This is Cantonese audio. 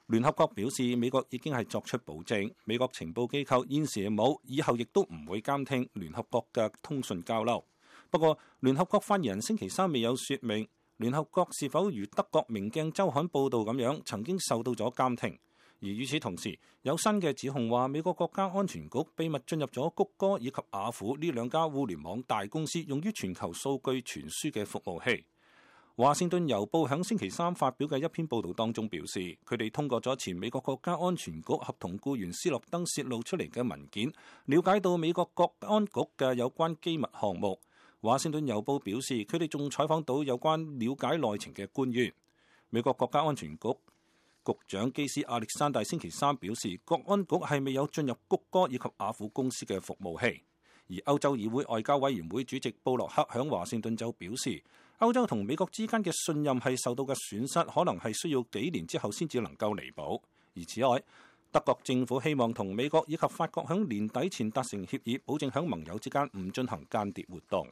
聯合國表示，美國已經係作出保證，美國情報機構現時冇，以後亦都唔會監聽聯合國嘅通訊交流。不過，聯合國發言人星期三未有説明聯合國是否如德國明鏡週刊報導咁樣曾經受到咗監聽。而與此同時，有新嘅指控話美國國家安全局秘密進入咗谷歌以及雅虎呢兩家互聯網大公司用於全球數據傳輸嘅服務器。華盛頓郵報響星期三發表嘅一篇報導當中表示，佢哋通過咗前美國國家安全局合同僱員斯諾登泄露出嚟嘅文件，了解到美國國安局嘅有關機密項目。華盛頓郵報表示，佢哋仲採訪到有關了解內情嘅官員。美國國家安全局局長基斯亞歷山大星期三表示，國安局係未有進入谷歌以及雅虎公司嘅服務器。而歐洲議會外交委員會主席布洛克響華盛頓就表示，歐洲同美國之間嘅信任係受到嘅損失，可能係需要幾年之後先至能夠彌補。而此外，德國政府希望同美國以及法國響年底前達成協議，保證響盟友之間唔進行間諜活動。